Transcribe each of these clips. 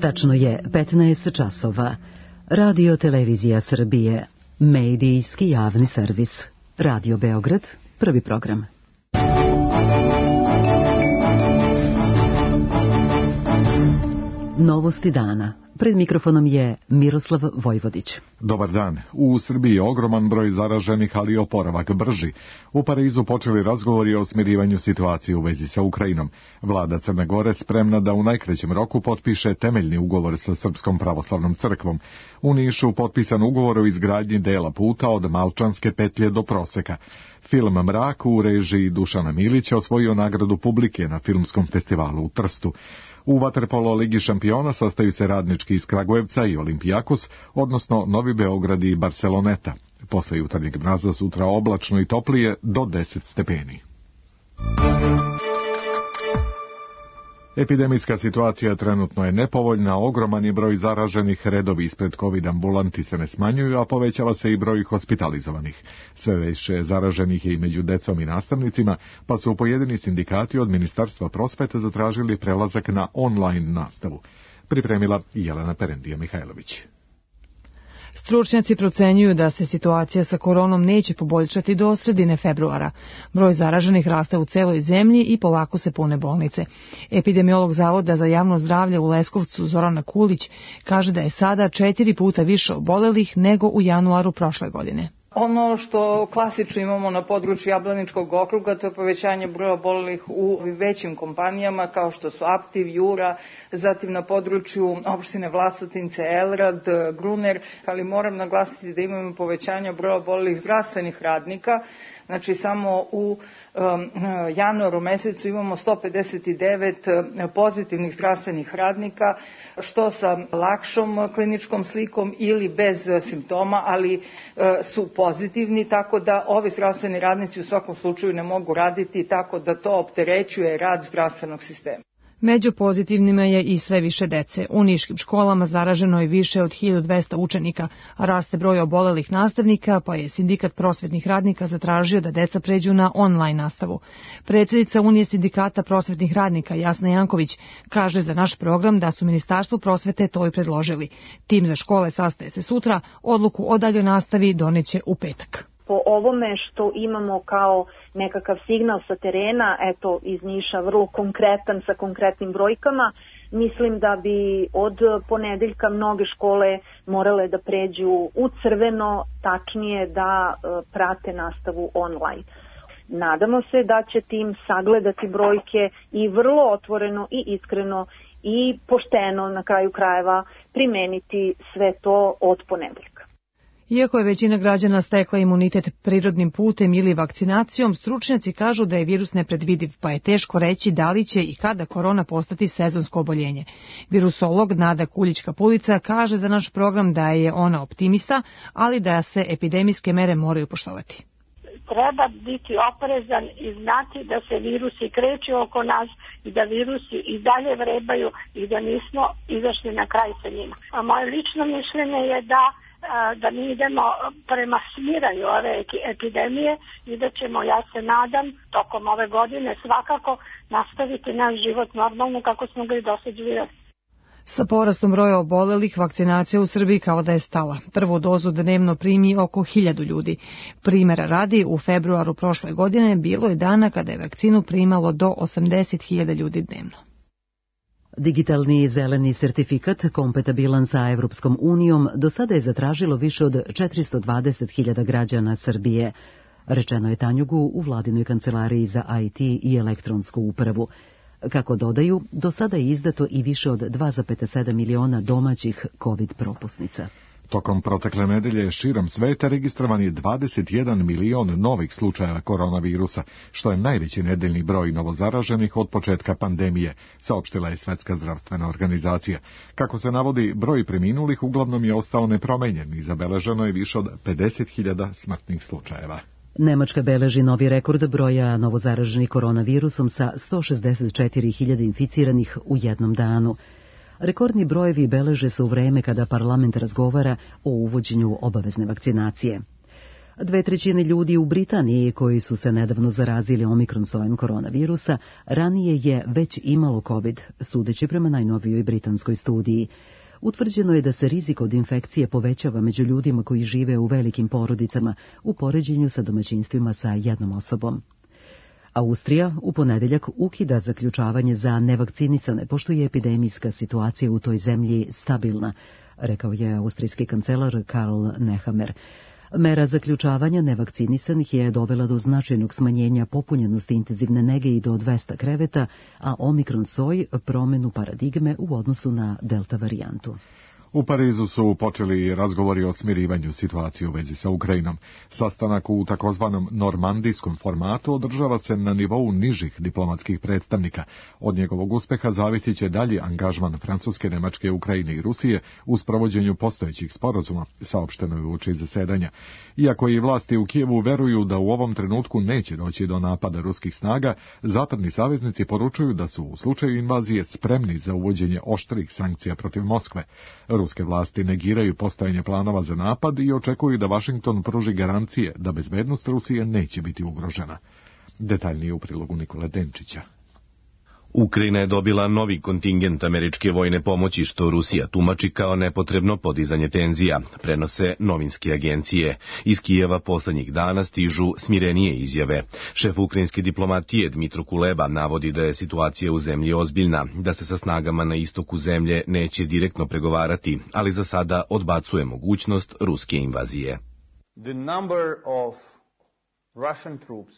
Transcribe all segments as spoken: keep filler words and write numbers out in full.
Tačno je petnaest časova. Radio Televizija Srbije, medijski javni servis. Radio Beograd, prvi program. Novosti dana. Pred mikrofonom je Miroslav Vojvodić. Dobar dan. U Srbiji je ogroman broj zaraženih, ali oporavak brži. U Parizu počeli razgovori o smirivanju situacije u vezi sa Ukrajinom. Vlada Crne Gore spremna da u najkraćem roku potpiše temeljni ugovor sa Srpskom pravoslavnom crkvom. U Nišu potpisan ugovor o izgradnji dela puta od Malčanske petlje do Proseka. Film Mrak u režiji Dušana Milića osvojio nagradu publike na filmskom festivalu u Trstu. U vaterpolo Ligi šampiona sastaju se Radnički iz Kragujevca i Olimpijakos, odnosno Novi Beograd i Barceloneta. Posle jutarnjeg mraza sutra oblačno i toplije do deset stepeni. Epidemijska situacija trenutno je nepovoljna, ogroman je broj zaraženih, redovi ispred COVID ambulanti se ne smanjuju, a povećava se i broj hospitalizovanih. Sve više zaraženih je i među decom i nastavnicima, pa su pojedini sindikati od Ministarstva prosvete zatražili prelazak na online nastavu. Pripremila Jelena Perendija Mihajlović. Stručnjaci procenjuju da se situacija sa koronom neće poboljšati do sredine februara. Broj zaraženih raste u celoj zemlji i polako se pune bolnice. Epidemiolog Zavoda za javno zdravlje u Leskovcu Zorana Kulić kaže da je sada četiri puta više obolelih nego u januaru prošle godine. Ono što klasično imamo na području Jablaničkog okruga, to je povećanje broja obolelih u većim kompanijama kao što su Aptiv, Jura, zatim na području opštine Vlasotince, Elrad, Gruner, ali moram naglasiti da imamo povećanje broja obolelih zdravstvenih radnika. Znači samo u um, januaru mesecu imamo sto pedeset devet pozitivnih zdravstvenih radnika, što sa lakšom kliničkom slikom ili bez simptoma, ali uh, su pozitivni, tako da ovi zdravstveni radnici u svakom slučaju ne mogu raditi, tako da to opterećuje rad zdravstvenog sistema. Među pozitivnima je i sve više dece. U niškim školama zaraženo je više od hiljadu dvesta učenika, a raste broj obolelih nastavnika, pa je sindikat prosvetnih radnika zatražio da deca pređu na online nastavu. Predsjednica Unije sindikata prosvetnih radnika Jasna Janković kaže za naš program da su Ministarstvu prosvete to i predložili. Tim za škole sastaje se sutra, odluku o daljoj nastavi doneće u petak. Po ovome što imamo kao nekakav signal sa terena, eto iz Niša vrlo konkretan sa konkretnim brojkama, mislim da bi od ponedeljka mnoge škole morale da pređu u crveno, tačnije da prate nastavu online. Nadamo se da će tim sagledati brojke i vrlo otvoreno i iskreno i pošteno na kraju krajeva primeniti sve to od ponedeljka. Iako je većina građana stekla imunitet prirodnim putem ili vakcinacijom, stručnjaci kažu da je virus nepredvidiv, pa je teško reći da li će i kada korona postati sezonsko oboljenje. Virusolog Nada Kuljić-Kapulica kaže za naš program da je ona optimista, ali da se epidemijske mere moraju poštovati. Treba biti oprezan i znati da se virusi kreću oko nas i da virusi i dalje vrebaju i da nismo izašli na kraj sa njima. A moje lično mišljenje je da da mi idemo prema smiranju ove epidemije i da ćemo, ja se nadam, tokom ove godine svakako nastaviti naš život normalno kako smo ga i dosad živjeli. Sa porastom broja obolelih, vakcinacija u Srbiji kao da je stala. Prvu dozu dnevno primi oko hiljadu ljudi. Primera radi, u februaru prošle godine bilo je dana kada je vakcinu primalo do osamdeset hiljada ljudi dnevno. Digitalni zeleni sertifikat kompatibilan sa Evropskom unijom do sada je zatražilo više od četiristo dvadeset hiljada građana Srbije. Rečeno je Tanjugu u vladinoj kancelariji za I T i elektronsku upravu. Kako dodaju, do sada je izdato i više od dva zarez sedam miliona domaćih COVID propusnica. Tokom protekle nedelje širom sveta registrovan je dvadeset jedan milion novih slučajeva koronavirusa, što je najveći nedeljni broj novozaraženih od početka pandemije, saopštila je Svetska zdravstvena organizacija. Kako se navodi, broj preminulih uglavnom je ostao nepromenjen i zabeleženo je više od pedeset hiljada smrtnih slučajeva. Nemačka beleži novi rekord broja novozaraženih koronavirusom sa sto šezdeset četiri hiljade inficiranih u jednom danu. Rekordni brojevi beleže se u vreme kada parlament razgovara o uvođenju obavezne vakcinacije. Dve trećine ljudi u Britaniji koji su se nedavno zarazili omikron sojem koronavirusa ranije je već imalo COVID, sudeći prema najnovijoj britanskoj studiji. Utvrđeno je da se rizik od infekcije povećava među ljudima koji žive u velikim porodicama u poređenju sa domaćinstvima sa jednom osobom. Austrija u ponedeljak ukida zaključavanje za nevakcinisane, pošto je epidemijska situacija u toj zemlji stabilna, rekao je austrijski kancelar Karl Nehammer. Mera zaključavanja nevakcinisanih je dovela do značajnog smanjenja popunjenosti intenzivne nege i do dvesta kreveta, a omikron soj promenu paradigme u odnosu na delta varijantu. U Parizu su počeli razgovori o smirivanju situacije u vezi sa Ukrajinom. Sastanak u takozvanom normandijskom formatu održava se na nivou nižih diplomatskih predstavnika. Od njegovog uspeha zavisit će dalji angažman Francuske, Nemačke, Ukrajine i Rusije u sprovođenju postojećih sporazuma, saopšteno je uoči zasedanja. Iako i vlasti u Kijevu veruju da u ovom trenutku neće doći do napada ruskih snaga, zapadni saveznici poručuju da su u slučaju invazije spremni za uvođenje oštrih sankcija protiv Moskve. Ruske vlasti negiraju postojanje planova za napad i očekuju da Vašington pruži garancije da bezbednost Rusije neće biti ugrožena. Detaljnije u prilogu Nikole Denčića. Ukrajina je dobila novi kontingent američke vojne pomoći, što Rusija tumači kao nepotrebno podizanje tenzija, prenose novinske agencije. Iz Kijeva poslednjih dana stižu smirenije izjave. Šef ukrajinske diplomatije Dmitro Kuleba navodi da je situacija u zemlji ozbiljna, da se sa snagama na istoku zemlje neće direktno pregovarati, ali za sada odbacuje mogućnost ruske invazije. The number of Russian troops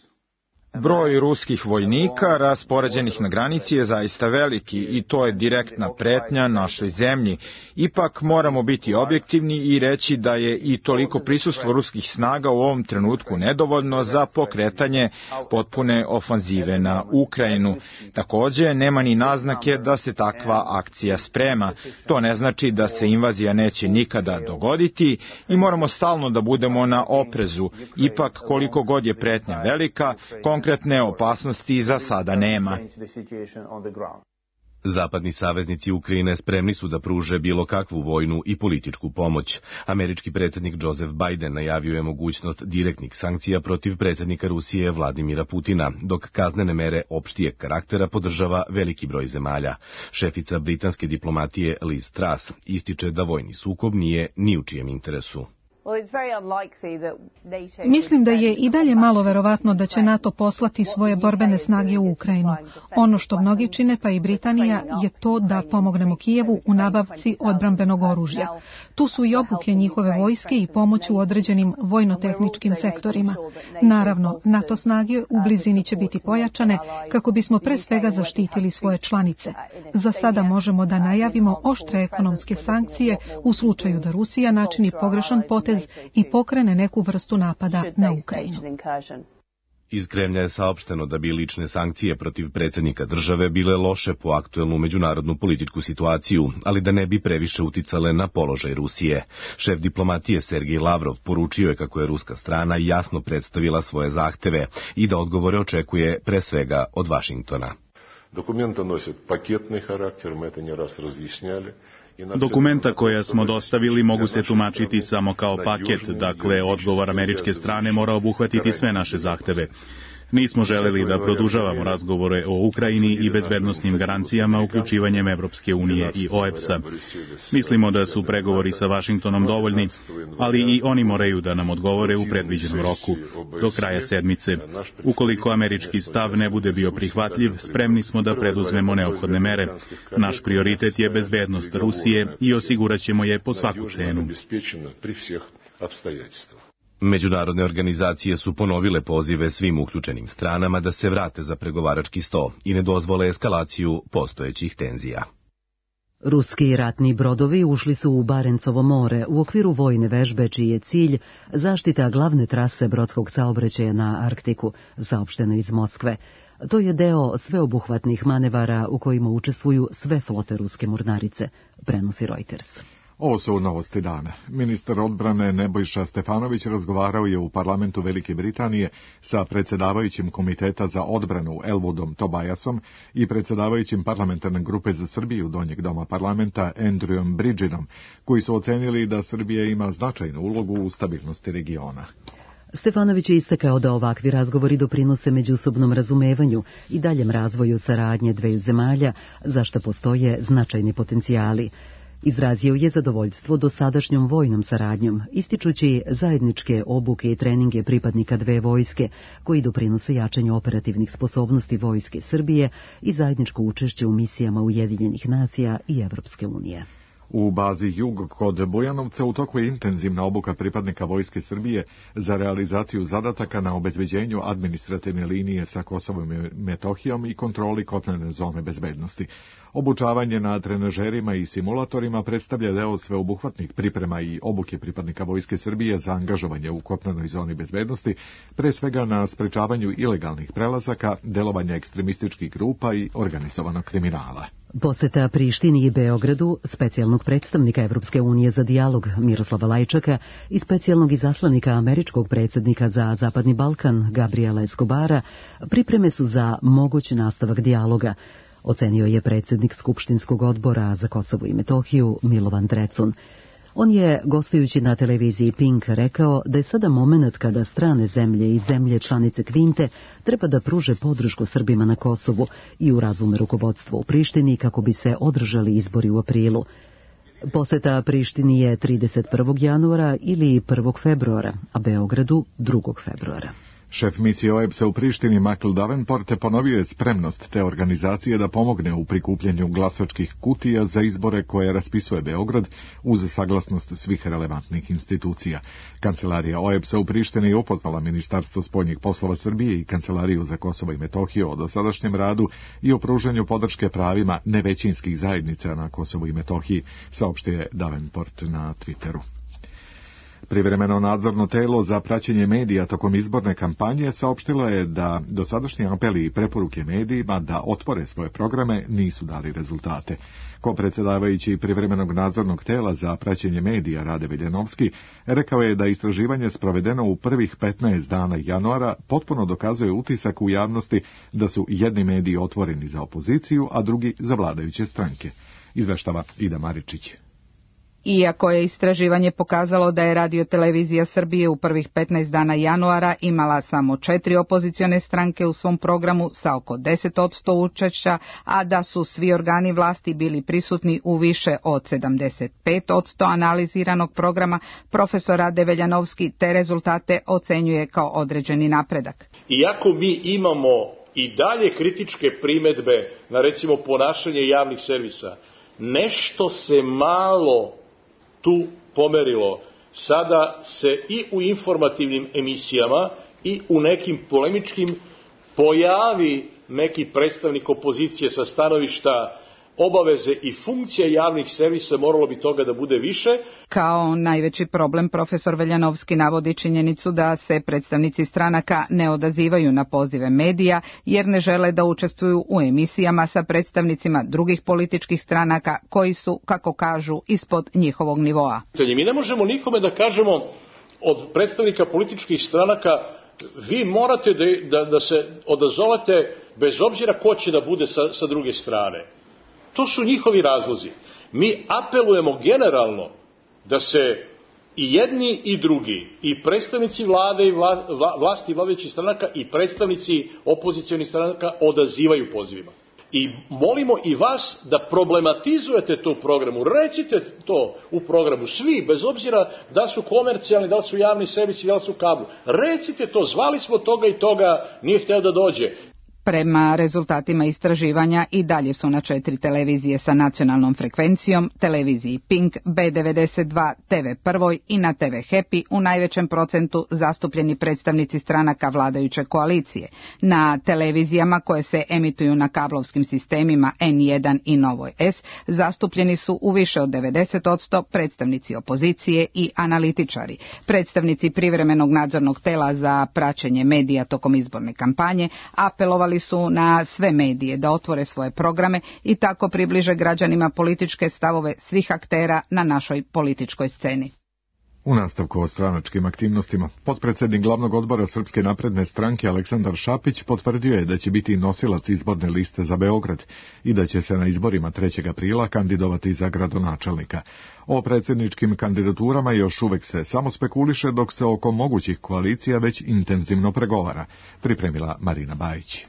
Broj ruskih vojnika raspoređenih na granici je zaista veliki i to je direktna pretnja našoj zemlji. Ipak moramo biti objektivni i reći da je i toliko prisustvo ruskih snaga u ovom trenutku nedovoljno za pokretanje potpune ofanzive na Ukrajinu. Takođe, nema ni naznake da se takva akcija sprema. To ne znači da se invazija neće nikada dogoditi i moramo stalno da budemo na oprezu. Ipak, koliko god je pretnja velika, konkretne opasnosti za sada nema. Zapadni saveznici Ukrajine spremni su da pruže bilo kakvu vojnu i političku pomoć. Američki predsjednik Joseph Biden najavio je mogućnost direktnih sankcija protiv predsjednika Rusije Vladimira Putina, dok kaznene mere opštijeg karaktera podržava veliki broj zemalja. Šefica britanske diplomatije Liz Truss ističe da vojni sukob nije ni u čijem interesu. Mislim da je i dalje malo verovatno da će NATO poslati svoje borbene snage u Ukrajinu. Ono što mnogi čine, pa i Britanija, je to da pomognemo Kijevu u nabavci odbrambenog oružja. Tu su i obuke njihove vojske i pomoć u određenim vojno-tehničkim sektorima. Naravno, NATO snage u blizini će biti pojačane kako bismo pre svega zaštitili svoje članice. Za sada možemo da najavimo oštre ekonomske sankcije u slučaju da Rusija načini pogrešan potez i pokrene neku vrstu napada na Ukrajinu. Iz Kremlja je saopšteno da bi lične sankcije protiv predsjednika države bile loše po aktuelnu međunarodnu političku situaciju, ali da ne bi previše uticale na položaj Rusije. Šef diplomatije Sergej Lavrov poručio je kako je ruska strana jasno predstavila svoje zahteve i da odgovore očekuje pre svega od Vašingtona. Dokumenta nosit paketni karakter, mi to ne raz razjašnjali. Dokumenta koja smo dostavili mogu se tumačiti samo kao paket, dakle odgovor američke strane mora obuhvatiti sve naše zahteve. Nismo želeli da produžavamo razgovore o Ukrajini i bezbednosnim garancijama uključivanjem Evropske unije i O E B S-a. Mislimo da su pregovori sa Vašingtonom dovoljni, ali i oni moraju da nam odgovore u predviđenom roku, do kraja sedmice. Ukoliko američki stav ne bude bio prihvatljiv, spremni smo da preduzmemo neophodne mere. Naš prioritet je bezbednost Rusije i osigurat ćemo je po svaku cenu. Međunarodne organizacije su ponovile pozive svim uključenim stranama da se vrate za pregovarački sto i ne dozvole eskalaciju postojećih tenzija. Ruski ratni brodovi ušli su u Barencovo more u okviru vojne vežbe čiji je cilj zaštita glavne trase brodskog saobraćaja na Arktiku, saopšteno iz Moskve. To je deo sveobuhvatnih manevara u kojima učestvuju sve flote ruske mornarice, prenosi Reuters. Ovo su novosti dana. Ministar odbrane Nebojša Stefanović razgovarao je u parlamentu Velike Britanije sa predsjedavajućim komiteta za odbranu Elwoodom Tobiasom i predsjedavajućim parlamentarne grupe za Srbiju Donjeg doma parlamenta Andrewom Bridgenom, koji su ocenili da Srbija ima značajnu ulogu u stabilnosti regiona. Stefanović je istakao da ovakvi razgovori doprinose međusobnom razumevanju i daljem razvoju saradnje dveju zemalja, za što postoje značajni potencijali. Izrazio je zadovoljstvo dosadašnjom vojnom saradnjom, ističući zajedničke obuke i treninge pripadnika dve vojske, koji doprinose jačanju operativnih sposobnosti vojske Srbije i zajedničko učešće u misijama Ujedinjenih nacija i Evropske unije. U bazi Jug kod Bujanovca u toku je intenzivna obuka pripadnika Vojske Srbije za realizaciju zadataka na obezbeđenju administrativne linije sa Kosovom i Metohijom i kontroli kopnene zone bezbednosti. Obučavanje na trenažerima i simulatorima predstavlja deo sveobuhvatnih priprema i obuke pripadnika Vojske Srbije za angažovanje u kopnenoj zoni bezbednosti, pre svega na sprečavanju ilegalnih prelazaka, delovanja ekstremističkih grupa i organizovanog kriminala. Poseta Prištini i Beogradu, specijalnog predstavnika Evropske unije za dijalog Miroslava Lajčaka i specijalnog izaslanika američkog predsjednika za Zapadni Balkan Gabriela Escobara, pripreme su za moguć nastavak dijaloga, ocenio je predsjednik Skupštinskog odbora za Kosovo i Metohiju Milovan Drecun. On je, gostujući na televiziji Pink, rekao da je sada moment kada strane zemlje i zemlje članice Kvinte treba da pruže podršku Srbima na Kosovu i urazume rukovodstvo u Prištini kako bi se održali izbori u aprilu. Poseta Prištini je trideset prvog januara ili prvog februara, a Beogradu drugog februara. Šef misije O E B S-a u Prištini Michael Davenport ponovio je spremnost te organizacije da pomogne u prikupljanju glasačkih kutija za izbore koje raspisuje Beograd uz saglasnost svih relevantnih institucija. Kancelarija O E B S-a u Prištini je upoznala Ministarstvo spoljnih poslova Srbije i Kancelariju za Kosovo i Metohiju o dosadašnjem radu i o pružanju podrške pravima nevećinskih zajednica na Kosovu i Metohiji, saopštio je Davenport na Twitteru. Privremeno nadzorno telo za praćenje medija tokom izborne kampanje saopštilo je da dosadašnji apeli i preporuke medijima da otvore svoje programe nisu dali rezultate. Ko-predsjedavajući privremenog nadzornog tela za praćenje medija Rade Veljanovski rekao je da istraživanje sprovedeno u prvih petnaest dana januara potpuno dokazuje utisak u javnosti da su jedni mediji otvoreni za opoziciju, a drugi za vladajuće stranke. Izveštava Ida Maričić. Iako je istraživanje pokazalo da je Radio-televizija Srbije u prvih petnaest dana januara imala samo četiri opozicione stranke u svom programu sa oko deset posto učešća, a da su svi organi vlasti bili prisutni u više od sedamdeset pet posto analiziranog programa, profesor Rade Veljanovski te rezultate ocenjuje kao određeni napredak. Iako mi imamo i dalje kritičke primedbe na recimo ponašanje javnih servisa, nešto se malo tu pomerilo. Sada se i u informativnim emisijama i u nekim polemičkim pojavi neki predstavnik opozicije sa stanovišta obaveze i funkcije javnih servisa, moralo bi toga da bude više. Kao najveći problem profesor Veljanovski navodi činjenicu da se predstavnici stranaka ne odazivaju na pozive medija jer ne žele da učestvuju u emisijama sa predstavnicima drugih političkih stranaka koji su, kako kažu, ispod njihovog nivoa. Mi ne možemo nikome da kažemo od predstavnika političkih stranaka vi morate da, da, da se odazovete bez obzira ko će da bude sa, sa druge strane. To su njihovi razlozi. Mi apelujemo generalno da se i jedni i drugi, i predstavnici vlade i vla, vla, vlasti vladajućih stranaka i predstavnici opozicionih stranaka odazivaju pozivima. I molimo i vas da problematizujete to u programu, recite to u programu, svi, bez obzira da su komercijalni, da li su javni servisi, da li su kablu. Recite to, zvali smo toga i toga, nije hteo da dođe. Prema rezultatima istraživanja i dalje su na četiri televizije sa nacionalnom frekvencijom, televiziji Pink, B devedeset dva, T V Prvoj i na T V Happy u najvećem procentu zastupljeni predstavnici stranaka vladajuće koalicije. Na televizijama koje se emituju na kablovskim sistemima N jedan i Novoj S zastupljeni su u više od devedeset posto predstavnici opozicije i analitičari. Predstavnici privremenog nadzornog tela za praćenje medija tokom izborne kampanje apelovali su na sve medije da otvore svoje programe i tako približe građanima političke stavove svih aktera na našoj političkoj sceni. U nastavku o stranačkim aktivnostima, potpredsjednik glavnog odbora Srpske napredne stranke Aleksandar Šapić potvrdio je da će biti nosilac izborne liste za Beograd i da će se na izborima trećeg aprila kandidovati za gradonačelnika. O predsjedničkim kandidaturama još uvek se samo spekuliše, dok se oko mogućih koalicija već intenzivno pregovara, pripremila Marina Bajić.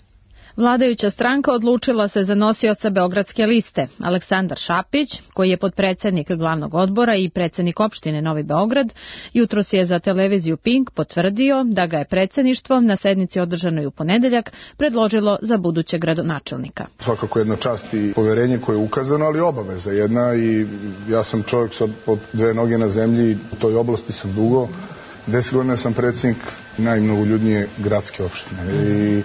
Vladajuća stranka odlučila se za nosioca beogradske liste. Aleksandar Šapić, koji je potpredsjednik glavnog odbora i predsjednik opštine Novi Beograd, jutros je za televiziju Pink potvrdio da ga je predsjedništvo na sednici održanoj u ponedeljak predložilo za budućeg gradonačelnika. Svakako jedna čast i poverenje koje je ukazano, ali obaveza jedna, i ja sam čovjek sa dve noge na zemlji, u toj oblasti sam dugo. Deset godina sam predsjednik najmnogoljudnije gradske opštine i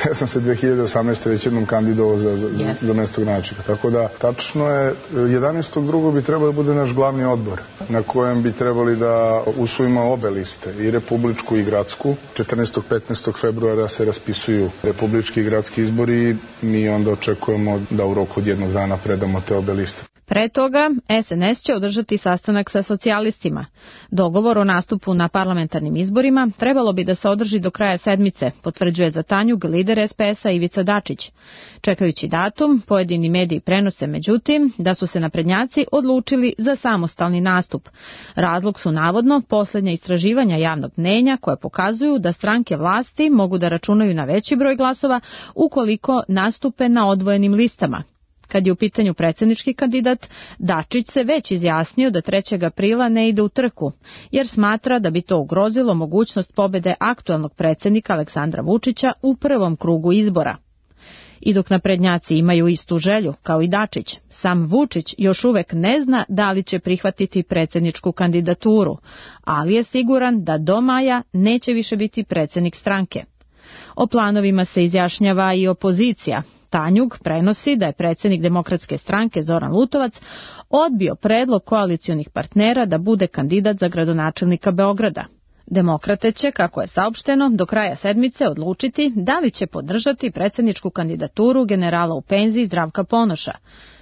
ja sam se dve hiljade osamnaeste. već jednom kandidovao za, za, yes. za mesto gradonačelnika. Tako da, tačno je, jedanaestog drugog bi trebalo da bude naš glavni odbor, na kojem bi trebali da usvojimo obe liste, i republičku i gradsku. četrnaestog i petnaestog februara se raspisuju republički i gradski izbori i mi onda očekujemo da u roku od jednog dana predamo te obe liste. Pre toga, S N S će održati sastanak sa socijalistima. Dogovor o nastupu na parlamentarnim izborima trebalo bi da se održi do kraja sedmice, potvrđuje za Tanjug lider S P S-a Ivica Dačić. Čekajući datum, pojedini mediji prenose međutim da su se naprednjaci odlučili za samostalni nastup. Razlog su navodno posljednja istraživanja javnog mnjenja koje pokazuju da stranke vlasti mogu da računaju na veći broj glasova ukoliko nastupe na odvojenim listama. Kad je u pitanju predsjednički kandidat, Dačić se već izjasnio da trećeg aprila ne ide u trku, jer smatra da bi to ugrozilo mogućnost pobjede aktualnog predsjednika Aleksandra Vučića u prvom krugu izbora. I dok naprednjaci imaju istu želju, kao i Dačić, sam Vučić još uvek ne zna da li će prihvatiti predsjedničku kandidaturu, ali je siguran da do maja neće više biti predsjednik stranke. O planovima se izjašnjava i opozicija. Tanjug prenosi da je predsjednik Demokratske stranke Zoran Lutovac odbio predlog koalicionih partnera da bude kandidat za gradonačelnika Beograda. Demokrate će, kako je saopšteno, do kraja sedmice odlučiti da li će podržati predsjedničku kandidaturu generala u penziji Zdravka Ponoša.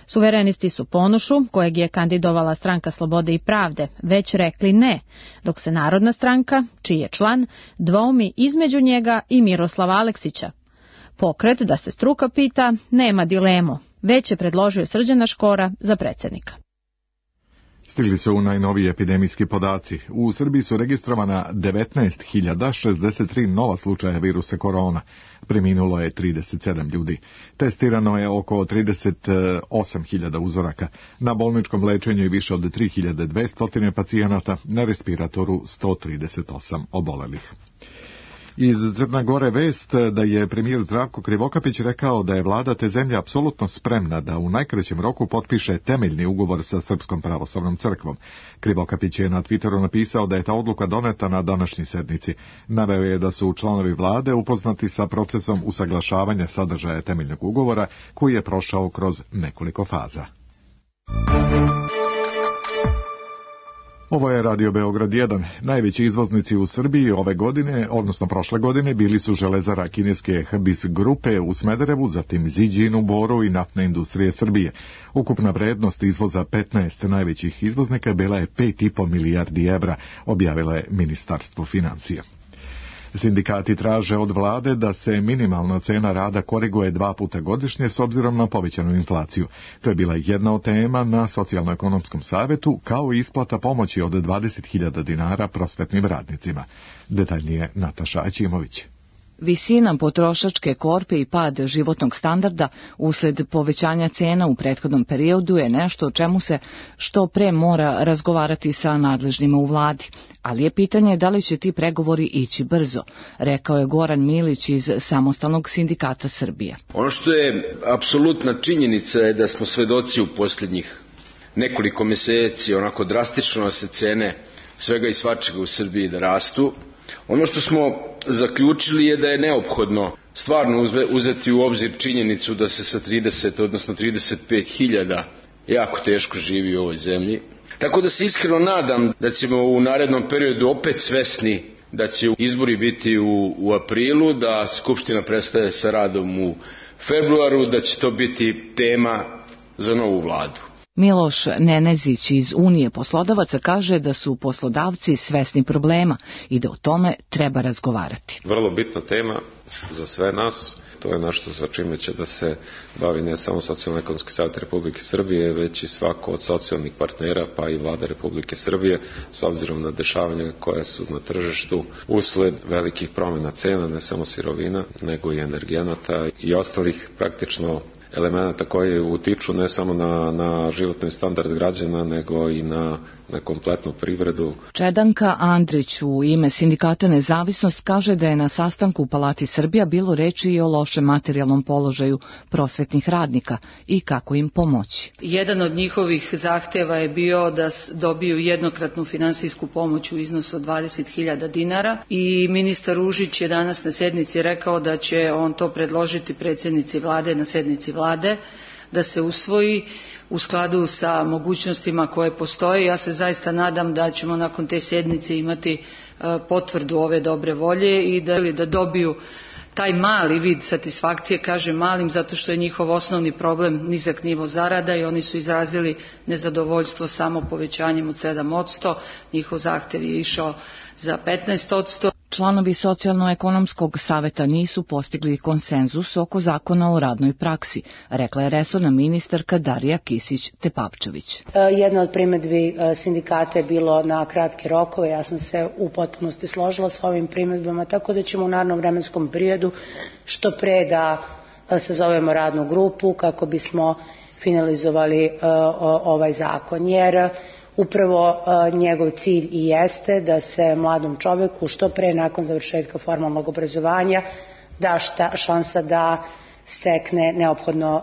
Suverenisti su Ponošu, kojeg je kandidovala Stranka slobode i pravde, već rekli ne, dok se Narodna stranka, čiji je član, dvoumi između njega i Miroslava Aleksića. Pokret, da se struka pita, nema dilemu, već je predložio Srđana Škora za predsjednika. Stigli su najnoviji epidemijski podaci. U Srbiji su registrovana devetnaest hiljada šezdeset tri nova slučaja virusa korona. Preminulo je trideset sedam ljudi. Testirano je oko trideset osam hiljada uzoraka. Na bolničkom lečenju je više od tri hiljade dvesta pacijenata, na respiratoru sto trideset osam obolelih. Iz Crne Gore vest da je premijer Zdravko Krivokapić rekao da je vlada te zemlje apsolutno spremna da u najkraćem roku potpiše temeljni ugovor sa Srpskom pravoslavnom crkvom. Krivokapić je na Twitteru napisao da je ta odluka doneta na današnjoj sednici. Naveo je da su članovi vlade upoznati sa procesom usaglašavanja sadržaja temeljnog ugovora koji je prošao kroz nekoliko faza. Ovo je Radio Beograd jedan. Najveći izvoznici u Srbiji ove godine, odnosno prošle godine, bili su železara kineske Hbis grupe u Smederevu, zatim Ziđin u Boru i Naftne industrije Srbije. Ukupna vrednost izvoza petnaest najvećih izvoznika bila je pet i po milijardi evra, objavilo je Ministarstvo financija. Sindikati traže od vlade da se minimalna cena rada koriguje dva puta godišnje s obzirom na povećanu inflaciju. To je bila jedna od tema na Socijalno-ekonomskom savetu, kao i isplata pomoći od dvadeset hiljada dinara prosvetnim radnicima. Detaljnije Nataša Aćimović. Visina potrošačke korpe i pad životnog standarda usled povećanja cena u prethodnom periodu je nešto o čemu se što pre mora razgovarati sa nadležnima u vladi. Ali je pitanje da li će ti pregovori ići brzo, rekao je Goran Milić iz Samostalnog sindikata Srbije. Ono što je apsolutna činjenica je da smo svedoci u posljednjih nekoliko meseci onako drastično se cene svega i svačega u Srbiji da rastu. Ono što smo zaključili je da je neophodno stvarno uzeti u obzir činjenicu da se sa trideset, odnosno trideset pet hiljada jako teško živi u ovoj zemlji. Tako da se iskreno nadam da ćemo u narednom periodu opet svesni da će izbori biti u, u aprilu, da Skupština prestaje sa radom u februaru, da će to biti tema za novu vladu. Miloš Nenezić iz Unije poslodavaca kaže da su poslodavci svesni problema i da o tome treba razgovarati. Vrlo bitna tema za sve nas. To je nešto sa čime će da se bavi ne samo Socijalno-ekonomski savet Republike Srbije, već i svako od socijalnih partnera, pa i Vlada Republike Srbije, s obzirom na dešavanja koja su na tržištu usled velikih promjena cena, ne samo sirovina, nego i energenata i ostalih praktično elemenata koji utiču ne samo na, na životni standard građana, nego i na, na kompletnu privredu. Čedanka Andrić u ime Sindikata Nezavisnost kaže da je na sastanku u Palati Srbija bilo reči i o lošem materijalnom položaju prosvetnih radnika i kako im pomoći. Jedan od njihovih zahtjeva je bio da dobiju jednokratnu finansijsku pomoć u iznosu od dvadeset hiljada dinara i ministar Ružić je danas na sjednici rekao da će on to predložiti predsjednici vlade na sjednici vlade, da se usvoji u skladu sa mogućnostima koje postoje. Ja se zaista nadam da ćemo nakon te sjednice imati potvrdu ove dobre volje i da, da dobiju taj mali vid satisfakcije, kažem malim zato što je njihov osnovni problem nizak nivo zarada i oni su izrazili nezadovoljstvo samo povećanjem od sedam posto, njihov zahtjev je išao za petnaest posto. Članovi Socijalno-ekonomskog saveta nisu postigli konsenzus oko zakona o radnoj praksi, rekla je resorna ministarka Darija Kisić-Tepavčević. Jedna od primjedbi sindikata je bilo na kratke rokove, ja sam se u potpunosti složila s ovim primjedbama, tako da ćemo u narednom vremenskom periodu što pre da sazovemo radnu grupu kako bismo finalizovali ovaj zakon, jer upravo uh, njegov cilj i jeste da se mladom čoveku što pre nakon završetka formalnog obrazovanja da šta, šansa da stekne neophodno uh,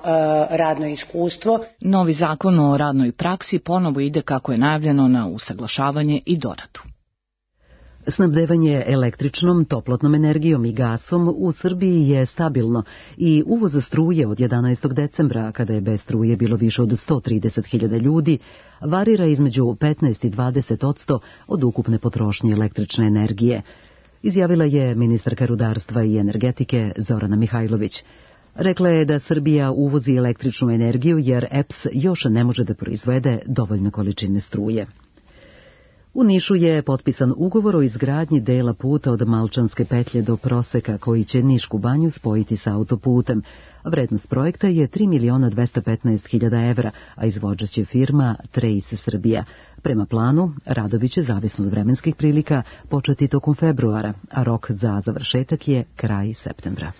radno iskustvo. Novi zakon o radnoj praksi ponovo ide kako je najavljeno na usaglašavanje i doradu. Snabdevanje električnom, toplotnom energijom i gasom u Srbiji je stabilno i uvoz struje od jedanaestog decembra, kada je bez struje bilo više od sto trideset hiljada ljudi, varira između petnaest i dvadeset posto od ukupne potrošnje električne energije, izjavila je ministarka rudarstva i energetike Zorana Mihajlović. Rekla je da Srbija uvozi električnu energiju jer E P S još ne može da proizvede dovoljne količine struje. U Nišu je potpisan ugovor o izgradnji dela puta od Malčanske petlje do Proseka koji će Nišku banju spojiti sa autoputem. Vrednost projekta je tri miliona dvesta petnaest hiljada evra, a izvođač je firma Trace Srbija. Prema planu, radovi će, zavisno od vremenskih prilika, početi tokom februara, a rok za završetak je kraj septembra.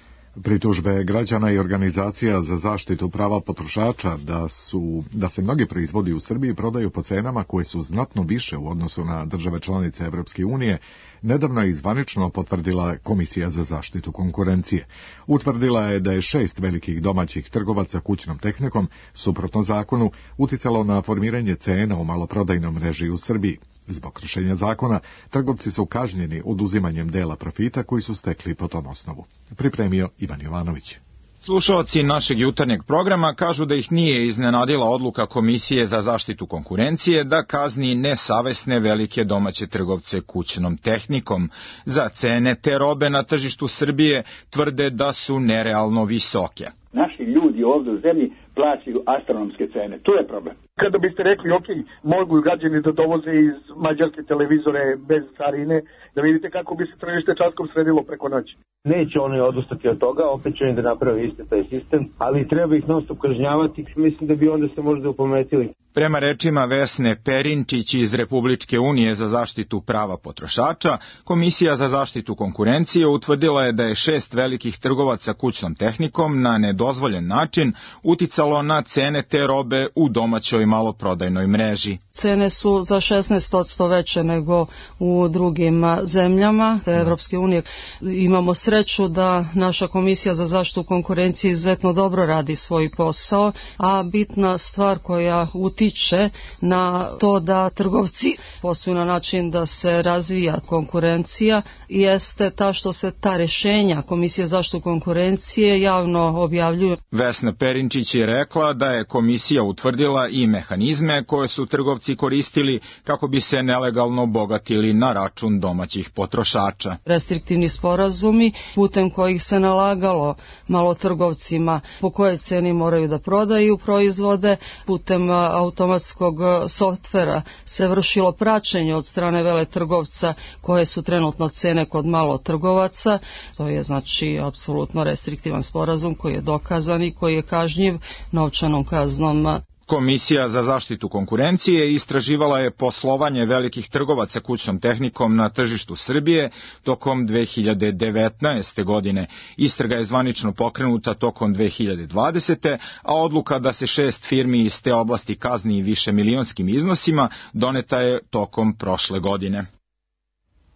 Pritužbe građana i organizacija za zaštitu prava potrošača da su da se mnogi proizvodi u Srbiji prodaju po cenama koje su znatno više u odnosu na države članice Evropske unije, nedavno je zvanično potvrdila Komisija za zaštitu konkurencije. Utvrdila je da je šest velikih domaćih trgovaca kućnom tehnikom, suprotno zakonu, uticalo na formiranje cena u maloprodajnom mreži u Srbiji. Zbog kršenja zakona, trgovci su kažnjeni oduzimanjem dela profita koji su stekli po tom osnovu. Pripremio Ivan Jovanović. Slušalci našeg jutarnjeg programa kažu da ih nije iznenadila odluka Komisije za zaštitu konkurencije da kazni nesavesne velike domaće trgovce kućnom tehnikom. Za cene te robe na tržištu Srbije tvrde da su nerealno visoke. Naši ljudi ovdje u zemlji plaćaju astronomske cene. To je problem. Kada biste rekli, ok, mogu građani da dovoze iz mađarske televizore bez carine, da vidite kako bi se tržište časkom sredilo preko noći. Neće oni odustati od toga, opet će oni da naprave isti taj sistem, ali treba ih non stop kažnjavati, mislim da bi onda se možda upametili. Prema rečima Vesne Perinčić iz Republičke unije za zaštitu prava potrošača, Komisija za zaštitu konkurencije utvrdila je da je šest velikih trgovaca kućnom tehnikom na nedozvoljen način uticalo na cene te robe u domaćoj maloprodajnoj mreži. Cene su za šesnaest posto veće nego u drugim zemljama Evropske unije. Imamo sreću da naša Komisija za zaštitu konkurencije izuzetno dobro radi svoj posao, a bitna stvar koja utiče na to da trgovci posluju na način da se razvija konkurencija jeste ta što se ta rješenja Komisije za zaštitu konkurencije javno objavljuju. Vesna Perinčić je rekla da je komisija utvrdila i mehanizme koje su trgovci koristili kako bi se nelegalno bogatili na račun domaćih potrošača. Restriktivni sporazumi putem kojih se nalagalo malotrgovcima po kojoj ceni moraju da prodaju proizvode, putem automatskog softvera se vršilo praćenje od strane veletrgovca koje su trenutno cene kod malotrgovaca. To je znači apsolutno restriktivan sporazum koji je dokazan i koji je kažnjiv novčanom kaznom. Komisija za zaštitu konkurencije istraživala je poslovanje velikih trgovaca kućnom tehnikom na tržištu Srbije tokom dve hiljade devetnaeste. godine. Istraga je zvanično pokrenuta tokom dve hiljade dvadesete. a odluka da se šest firmi iz te oblasti kazni višemilionskim iznosima doneta je tokom prošle godine.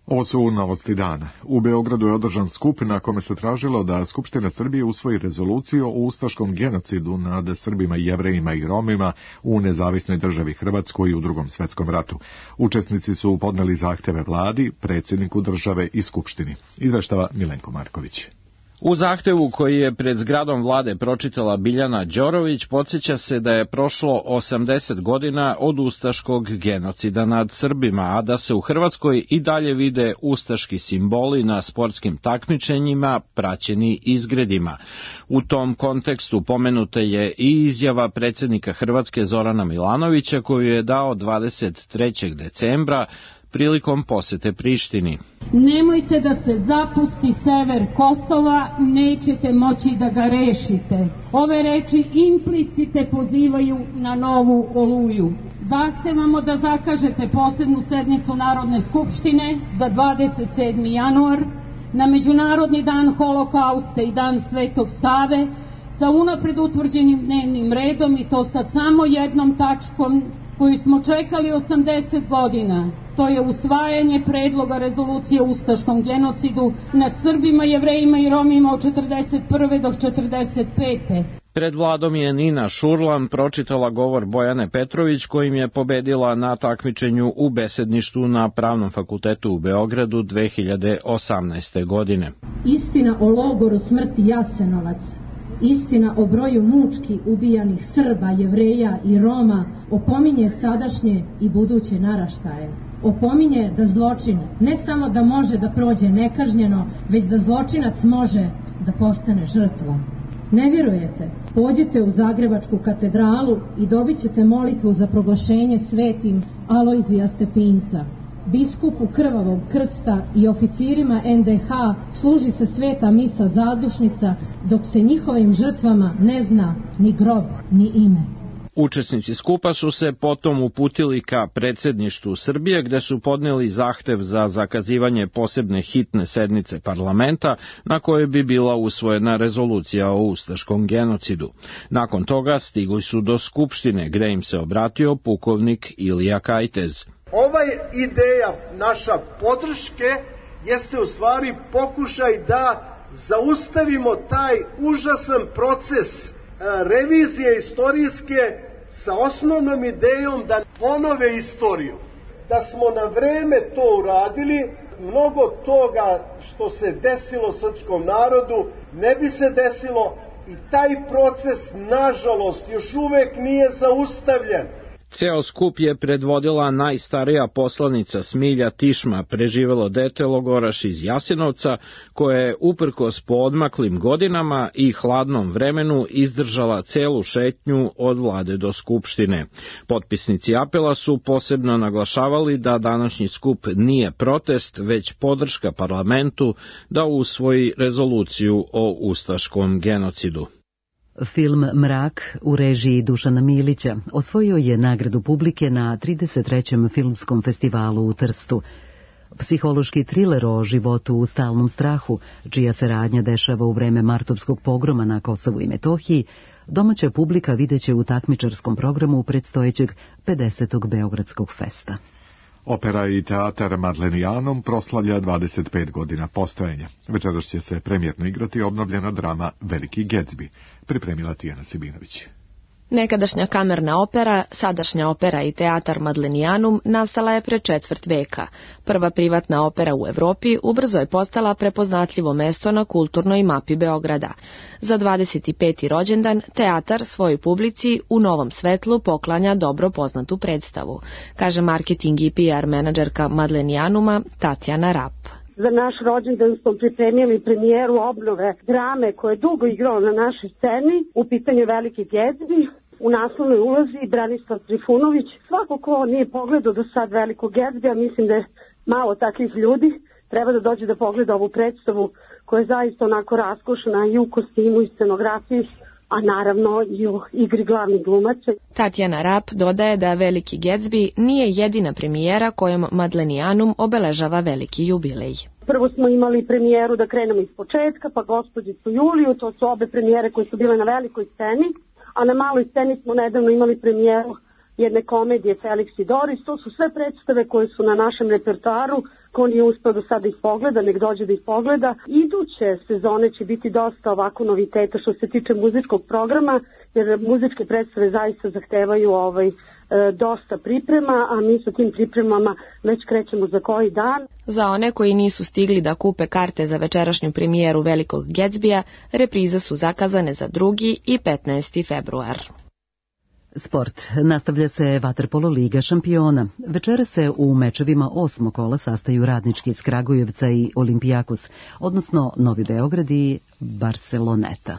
Ovo su novosti dana. U Beogradu je održan skup na kome se tražilo da Skupština Srbije usvoji rezoluciju o ustaškom genocidu nad Srbima, Jevrejima i Romima u nezavisnoj državi Hrvatskoj u Drugom svetskom ratu. Učesnici su podneli zahteve vladi, predsjedniku države i Skupštini. Izveštava Milenko Marković. U zahtevu koji je pred zgradom vlade pročitala Biljana Đorović podsjeća se da je prošlo osamdeset godina od ustaškog genocida nad Srbima, a da se u Hrvatskoj i dalje vide ustaški simboli na sportskim takmičenjima praćeni izgredima. U tom kontekstu pomenuta je i izjava predsjednika Hrvatske Zorana Milanovića koju je dao dvadeset trećeg decembra prilikom posete Prištini. Nemojte da se zapusti sever Kosova, nećete moći da ga rešite. Ove reči implicite pozivaju na novu Oluju. Zahtevamo da zakažete posebnu sednicu Narodne skupštine za dvadeset sedmi januar na Međunarodni dan holokausta i dan Svetog Save sa unapred utvrđenim dnevnim redom i to sa samo jednom tačkom koju smo čekali osamdeset godina. To je usvajanje predloga rezolucije o ustaškom genocidu nad Srbima, Jevrejima i Romima od četrdeset prve do četrdeset pete. Pred vladom je Nina Šurlan pročitala govor Bojane Petrović kojim je pobedila na takmičenju u besedništvu na Pravnom fakultetu u Beogradu dve hiljade osamnaeste. godine. Istina o logoru smrti Jasenovac, istina o broju mučki ubijanih Srba, Jevreja i Roma opominje sadašnje i buduće naraštaje. Opominje da zločin ne samo da može da prođe nekažnjeno, već da zločinac može da postane žrtvom. Ne vjerujete? Pođite u Zagrebačku katedralu i dobit ćete molitvu za proglašenje svetim Alojzija Stepinca. Biskupu Krvavog krsta i oficirima en de ha služi se sveta misa zadušnica, dok se njihovim žrtvama ne zna ni grob, ni ime. Učesnici skupa su se potom uputili ka predsjedništvu Srbije gde su podneli zahtev za zakazivanje posebne hitne sednice parlamenta na kojoj bi bila usvojena rezolucija o ustaškom genocidu. Nakon toga stigli su do Skupštine gde im se obratio pukovnik Ilija Kajtez. Ova ideja naša podrške jeste u stvari pokušaj da zaustavimo taj užasan proces revizije istorijske sa osnovnom idejom da ponove istoriju. Da smo na vreme to uradili, mnogo toga što se desilo srpskom narodu ne bi se desilo i taj proces, nažalost, još uvek nije zaustavljen. Ceo skup je predvodila najstarija poslanica Smilja Tišma, preživelo dete logoraš iz Jasenovca, koja je uprkos poodmaklim godinama i hladnom vremenu izdržala celu šetnju od vlade do Skupštine. Potpisnici apela su posebno naglašavali da današnji skup nije protest, već podrška parlamentu da usvoji rezoluciju o ustaškom genocidu. Film Mrak u režiji Dušana Milića osvojio je nagradu publike na trideset trećem filmskom festivalu u Trstu. Psihološki triler o životu u stalnom strahu, čija se radnja dešava u vreme martovskog pogroma na Kosovu i Metohiji, domaća publika videće u takmičarskom programu predstojećeg pedesetog Beogradskog festa. Opera i teatar Madlenijanom proslavlja dvadeset pet godina postojanja. Večeras će se premijerno igrati obnovljena drama Veliki Gatsby, pripremila Tijana Sibinović. Nekadašnja kamerna opera, sadašnja opera i teatar Madlenijanum nastala je pre četvrt veka. Prva privatna opera u Evropi ubrzo je postala prepoznatljivo mesto na kulturnoj mapi Beograda. Za dvadeset peti rođendan teatar svojoj publici u novom svetlu poklanja dobro poznatu predstavu, kaže marketing i P R menadžerka Madlenijanuma Tatjana Rap. Za naš rođendan smo pripremili premijeru obnove drame koje je dugo igrao na našoj sceni, u pitanju Veliki Gatsby. U naslovnoj ulozi Branislav Trifunović. Svako ko nije pogledao do sad Velikog Gatsbya, mislim da je malo takvih ljudi, treba da dođe da pogleda ovu predstavu koja je zaista onako raskošna i u kostimu i scenografiji, a naravno i u igri glavnih glumaca. Tatjana Rap dodaje da Veliki Gatsby nije jedina premijera kojom Madlenianum obeležava veliki jubilej. Prvo smo imali premijeru, da krenemo iz početka, pa Gospođicu Juliju, to su obe premijere koje su bile na velikoj sceni, a na maloj sceni smo nedavno imali premijeru jedne komedije Felix i Doris. To su sve predstave koje su na našem repertoaru, ko nije uspeo do sada ih pogleda, nek dođe da ih pogleda. Iduće sezone će biti dosta ovako noviteta što se tiče muzičkog programa, jer muzičke predstave zaista zahtevaju ovaj, e, dosta priprema, a mi sa tim pripremama već krećemo za koji dan. Za one koji nisu stigli da kupe karte za večerašnju premijeru Velikog Gatsbya, reprize su zakazane za drugi i petnaesti februar. Sport. Nastavlja se vaterpolo Liga šampiona. Večera se u mečevima osmog kola sastaju Radnički iz Kragujevca i Olimpijakos, odnosno Novi Beograd i Barceloneta.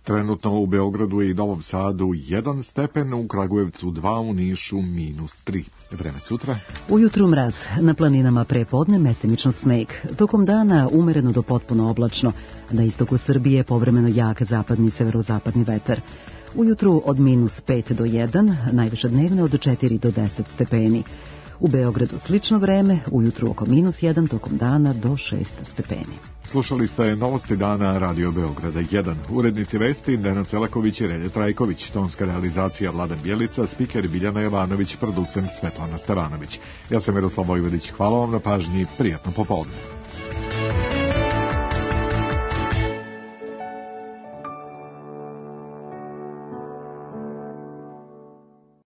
Trenutno u Beogradu i Novom Sadu jedan stepen, u Kragujevcu dva, u Nišu minus tri. Vreme sutra. Ujutru mraz, na planinama prepodne mestimično sneg. Tokom dana umereno do potpuno oblačno. Na istoku Srbije povremeno jak zapadni i severozapadni vetar. Ujutru od minus pet do jedan, najviše dnevne od četiri do deset stepeni. U Beogradu slično vreme, ujutru oko minus jedan, tokom dana do šest stepeni. Slušali ste novosti dana Radio Beograda jedan. Urednici vesti Denan Selaković i Relje Trajković, tonska realizacija Vladan Bjelica, spiker Biljana Jovanović, producent Svetlana Stevanović. Ja sam Miroslav Vojvodić, hvala vam na pažnji, prijatno popodne.